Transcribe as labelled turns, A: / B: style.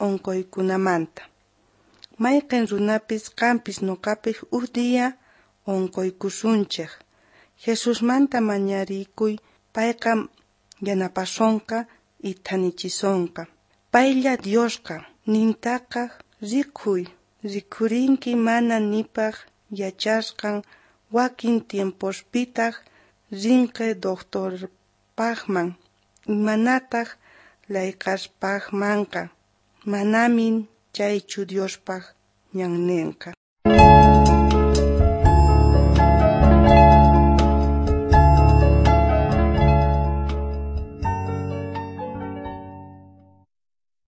A: Onqoykunamanta. Mayqen runapis qampis noqapis uj día onqoykusunchej. Jesusmanta mañarikuy, payqa yanapasonqa y thanichisonqa. Paylla Diosqa, nintaqa rikhuy, rikhurinki mana nipaj yachasqan wakin tiempospitaj rinqe doctorpajman imanataj layqaspajmanqa. Manamin chaychu Diospaj ñannenqa.